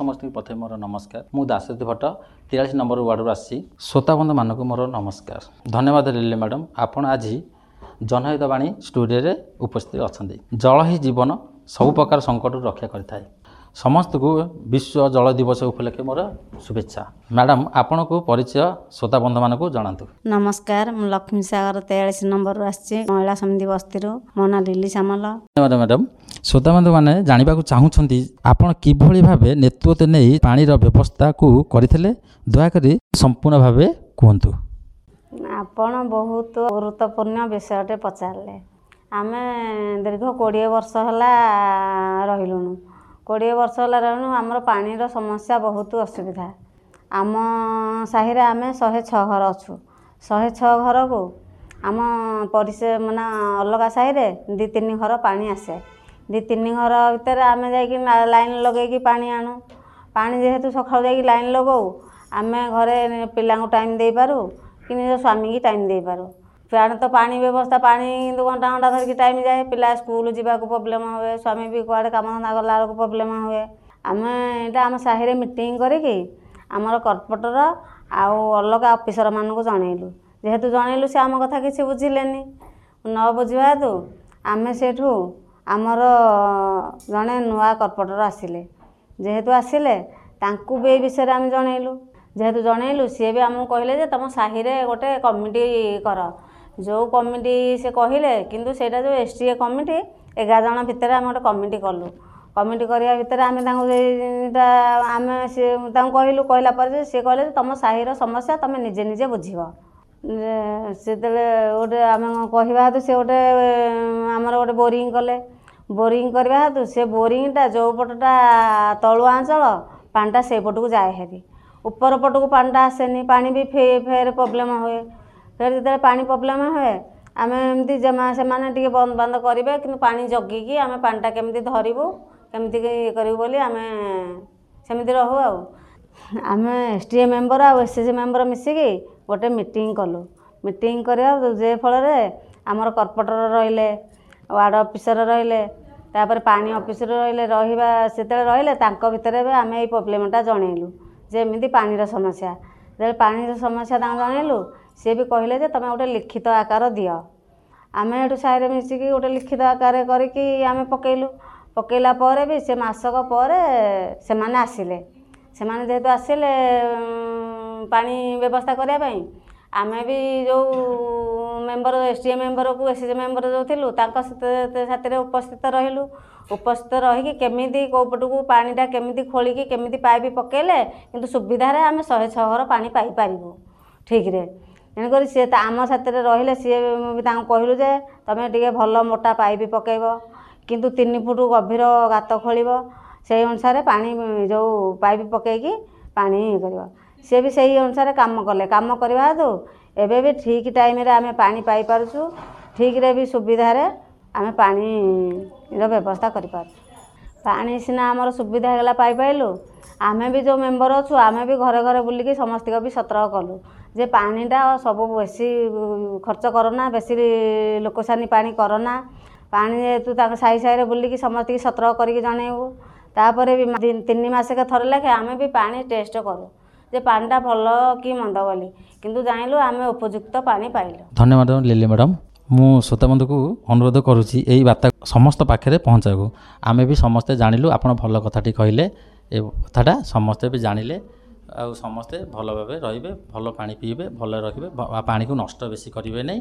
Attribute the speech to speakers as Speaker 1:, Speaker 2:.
Speaker 1: ସମସ୍ତଙ୍କୁ ପ୍ରଥମେ ମୋର ନମସ୍କାର। ମୁଁ ଦାଶରଥୀ ଭଟ୍ଟ, 43 ନମ୍ବର ୱାର୍ଡ଼ରୁ ଆସିଛି। ଶ୍ରୋତାବନ୍ଧୁମାନଙ୍କୁ ମୋର ନମସ୍କାର। ଧନ୍ୟବାଦ ଲିଲି ମ୍ୟାଡ଼ାମ୍, ଆପଣ ଆଜି ଜନହିତ ବାଣୀ ଷ୍ଟୁଡ଼ିଓରେ ଉପସ୍ଥିତ ଅଛନ୍ତି। ଜଳ ହିଁ ଜୀବନ, ସବୁ ପ୍ରକାର ସଙ୍କଟରୁ ରକ୍ଷା କରିଥାଏ। ସମସ୍ତଙ୍କୁ ବିଶ୍ୱ ଜଳ ଦିବସ ଉପଲକ୍ଷେ ମୋର ଶୁଭେଚ୍ଛା। ମ୍ୟାଡ଼ାମ୍, ଆପଣଙ୍କୁ ପରିଚୟ ଶ୍ରୋତା ବନ୍ଧୁମାନଙ୍କୁ ଜଣାନ୍ତୁ।
Speaker 2: ନମସ୍କାର, ମୁଁ ଲକ୍ଷ୍ମୀ ସାଗର 43 ନମ୍ବରରୁ ଆସିଛି, ମହିଳା ସମିତି ବସ୍ତିରୁ। ମୋ ନାଁ ଲିଲି ସାମଲ।
Speaker 1: ଧନ୍ୟବାଦ ମ୍ୟାଡ଼ାମ୍। ଶ୍ରୋତାବନ୍ଧୁମାନେ ଜାଣିବାକୁ ଚାହୁଁଛନ୍ତି ଆପଣ କିଭଳି ଭାବେ ନେତୃତ୍ୱ ନେଇ ପାଣିର ବ୍ୟବସ୍ଥାକୁ କରିଥିଲେ। ଦୟାକରି ସମ୍ପୂର୍ଣ୍ଣ ଭାବେ କୁହନ୍ତୁ।
Speaker 2: ଆପଣ ବହୁତ ଗୁରୁତ୍ୱପୂର୍ଣ୍ଣ ବିଷୟଟେ ପଚାରିଲେ। ଆମେ ଦୀର୍ଘ 20 ବର୍ଷ ହେଲା ରହିଲୁଣୁ। 20 ବର୍ଷ ହେଲା ରହିଲୁଣୁ, ଆମର ପାଣିର ସମସ୍ୟା ବହୁତ ଅସୁବିଧା। ଆମ ସାହିରେ ଆମେ 106 ଘର ଅଛୁ। 106 ଘରକୁ ଆମ ମାନେ ଅଲଗା ସାହିରେ 2-3 ଘର ପାଣି ଆସେ। 2-3 ଘର ଭିତରେ ଆମେ ଯାଇକି ଲାଇନ୍ ଲଗେଇକି ପାଣି ଆଣୁ। ପାଣି ଯେହେତୁ ସକାଳୁ ଯାଇକି ଲାଇନ୍ ଲଗାଉ, ଆମେ ଘରେ ପିଲାଙ୍କୁ ଟାଇମ୍ ଦେଇପାରୁ କି ନିଜ ସ୍ୱାମୀକି ଟାଇମ୍ ଦେଇପାରୁ। ସିଆଡ଼େ ତ ପାଣି ବ୍ୟବସ୍ଥା, ପାଣି କିନ୍ତୁ ଘଣ୍ଟା ଘଣ୍ଟା ଧରିକି ଟାଇମ୍ ଯାଏ। ପିଲା ସ୍କୁଲ ଯିବାକୁ ପ୍ରୋବ୍ଲେମ୍ ହୁଏ, ସ୍ୱାମୀ ବି କୁଆଡ଼େ କାମଧନ୍ଦା ଗଲାବେଳକୁ ପ୍ରୋବ୍ଲେମ୍ ହୁଏ। ଆମେ ଏଇଟା ଆମ ସାହିରେ ମିଟିଂ କରିକି ଆମର କର୍ପୋରେଟର ଆଉ ଅଲଗା ଅଫିସରମାନଙ୍କୁ ଜଣେଇଲୁ। ଯେହେତୁ ଜଣେଇଲୁ, ସେ ଆମ କଥା କିଛି ବୁଝିଲେନି। ନ ବୁଝିବା ହେତୁ ଆମେ ସେଇଠୁ ଆମର ଜଣେ ନୂଆ କର୍ପୋରେଟର ଆସିଲେ। ଯେହେତୁ ଆସିଲେ, ତାଙ୍କୁ ବି ଏଇ ବିଷୟରେ ଆମେ ଜଣେଇଲୁ। ଯେହେତୁ ଜଣେଇଲୁ, ସିଏ ବି ଆମକୁ କହିଲେ ଯେ ତୁମ ସାହିରେ ଗୋଟେ କମିଟି କର। ଯେଉଁ କମିଟି ସେ କହିଲେ, କିନ୍ତୁ ସେଇଟା ଯେଉଁ ଏସ୍ ଟି ଏ କମିଟି, 11 ଜଣ ଭିତରେ ଆମେ ଗୋଟେ କମିଟି କଲୁ। କମିଟି କରିବା ଭିତରେ ଆମେ ତାଙ୍କୁ ସେଇଟା ଆମେ ସେ ତାଙ୍କୁ କହିଲୁ। କହିଲା ପରେ ଯେ ସିଏ କହିଲେ ଯେ ତୁମ ସାହିର ସମସ୍ୟା ତୁମେ ନିଜେ ନିଜେ ବୁଝିବ। ସେତେବେଳେ ଗୋଟେ ଆମେ କହିବା ହେତୁ ସେ ଗୋଟେ ଆମର ଗୋଟେ ବୋରିଂ କଲେ। ବୋରିଂ କରିବା ହେତୁ ସେ ବୋରିଂଟା ଯେଉଁ ପଟଟା ତଳୁଆ ଅଞ୍ଚଳ, ପାଣିଟା ସେଇପଟକୁ ଯାଏ ହେରି, ଉପର ପଟକୁ ପାଣିଟା ଆସେନି। ପାଣି ବି ଫେର ପ୍ରୋବ୍ଲେମ୍ ହୁଏ। ଫେର ଯେତେବେଳେ ପାଣି ପ୍ରୋବ୍ଲେମ୍ ହୁଏ, ଆମେ ଏମିତି ସେମାନେ ଟିକେ ବନ୍ଦ ବାନ୍ଦ କରିବେ, କିନ୍ତୁ ପାଣି ଜଗିକି ଆମେ ପାଣିଟା କେମିତି ଧରିବୁ, କେମିତି ଇଏ କରିବୁ ବୋଲି ଆମେ ସେମିତି ରହୁ। ଆଉ ଆମେ ଏସ୍ ଟି ଏ ମେମ୍ବର ଆଉ ଏସ୍ ସି ମେମ୍ବର ମିଶିକି ଗୋଟେ ମିଟିଂ କଲୁ। ମିଟିଂ କରିବା ଯେ ଫଳରେ ଆମର କର୍ପୋରେଟର ରହିଲେ, ୱାର୍ଡ଼ ଅଫିସର ରହିଲେ, ତାପରେ ପାଣି ଅଫିସର ରହିଲେ। ରହିବା ସେତେବେଳେ ରହିଲେ, ତାଙ୍କ ଭିତରେ ବି ଆମେ ଏଇ ପ୍ରୋବ୍ଲେମଟା ଜଣେଇଲୁ ଯେ ଏମିତି ପାଣିର ସମସ୍ୟା। ଯେତେବେଳେ ପାଣିର ସମସ୍ୟା ତାଙ୍କୁ ଜଣେଇଲୁ, ସିଏ ବି କହିଲେ ଯେ ତୁମେ ଗୋଟେ ଲିଖିତ ଆକାର ଦିଅ। ଆମେ ଏଠୁ ସାହିରେ ମିଶିକି ଗୋଟେ ଲିଖିତ ଆକାରରେ କରିକି ଆମେ ପକେଇଲୁ। ପକେଇଲା ପରେ ବି ସେ ମାସକ ପରେ ସେମାନେ ଆସିଲେ। ସେମାନେ ଯେହେତୁ ଆସିଲେ ପାଣି ବ୍ୟବସ୍ଥା କରିବା ପାଇଁ, ଆମେ ବି ଯେଉଁ ମେମ୍ବର, ଏସ୍ ଟି ଏ ମେମ୍ବରକୁ ଏସ୍ ସି ମେମ୍ବର ଯେଉଁ ଥିଲୁ, ତାଙ୍କ ସାଥିରେ ଉପସ୍ଥିତ ରହିଲୁ। ଉପସ୍ଥିତ ରହିକି କେମିତି କେଉଁ ପଟକୁ ପାଣିଟା କେମିତି ଖୋଳିକି କେମିତି ପାଇପ୍ ପକେଇଲେ କିନ୍ତୁ ସୁବିଧାରେ ଆମେ 106 ଘର ପାଣି ପାଇପାରିବୁ ଠିକ୍ରେ। ତେଣୁକରି ସିଏ ତ ଆମ ସାଥିରେ ରହିଲେ। ସିଏ ବି ତାଙ୍କୁ କହିଲୁ ଯେ ତୁମେ ଟିକେ ଭଲ ମୋଟା ପାଇପ୍ ପକେଇବ, କିନ୍ତୁ 3 ଫୁଟ ଗଭୀର ଗାତ ଖୋଳିବ, ସେଇ ଅନୁସାରେ ପାଣି ଯେଉଁ ପାଇପ୍ ପକେଇକି ପାଣି ଇଏ କରିବ। ସିଏ ବି ସେଇ ଅନୁସାରେ କାମ କଲେ। କାମ କରିବା ହେତୁ ଏବେ ବି ଠିକ୍ ଟାଇମ୍ରେ ଆମେ ପାଣି ପାଇପାରୁଛୁ। ଠିକ୍ରେ ବି ସୁବିଧାରେ ଆମେ ପାଣିର ବ୍ୟବସ୍ଥା କରିପାରୁଛୁ। ପାଣି ସିନା ଆମର ସୁବିଧା ହେଇଗଲା, ପାଇପାଇଲୁ, ଆମେ ବି ଯେଉଁ ମେମ୍ବର ଅଛୁ, ଆମେ ବି ଘରେ ଘରେ ବୁଲିକି ସମସ୍ତଙ୍କୁ ବି ସତର୍କ କଲୁ ଯେ ପାଣିଟା ସବୁ ବେଶୀ ଖର୍ଚ୍ଚ କରନା, ବେଶୀ ଲୋକସାନି ପାଣି କରନା। ପାଣି ଯେହେତୁ ତାଙ୍କ ସାହି ସାହିରେ ବୁଲିକି ସମସ୍ତଙ୍କୁ ସତର୍କ କରିକି ଜଣେଇବୁ। ତାପରେ ବି 3 ମାସକେ ଥରେ ଲେଖେ ଆମେ ବି ପାଣି ଟେଷ୍ଟ କରୁ ଯେ ପାଣିଟା ଭଲ କି ମନ୍ଦ ବୋଲି। କିନ୍ତୁ ଜାଣିଲୁ ଆମେ ଉପଯୁକ୍ତ ପାଣି ପାଇଲୁ।
Speaker 1: ଧନ୍ୟବାଦ ଲିଲି ମ୍ୟାଡ଼ାମ୍। ମୁଁ ଶ୍ରୋତାବନ୍ଧୁକୁ ଅନୁରୋଧ କରୁଛି ଏଇ ବାର୍ତ୍ତା ସମସ୍ତ ପାଖରେ ପହଞ୍ଚାଇବାକୁ। ଆମେ ବି ସମସ୍ତେ ଜାଣିଲୁ, ଆପଣ ଭଲ କଥାଟି କହିଲେ। ଏ କଥାଟା ସମସ୍ତେ ବି ଜାଣିଲେ ଆଉ ସମସ୍ତେ ଭଲ ଭାବେ ରହିବେ, ଭଲ ପାଣି ପିଇବେ, ଭଲ ରଖିବେ, ପାଣିକୁ ନଷ୍ଟ ବେଶୀ କରିବେ ନାହିଁ।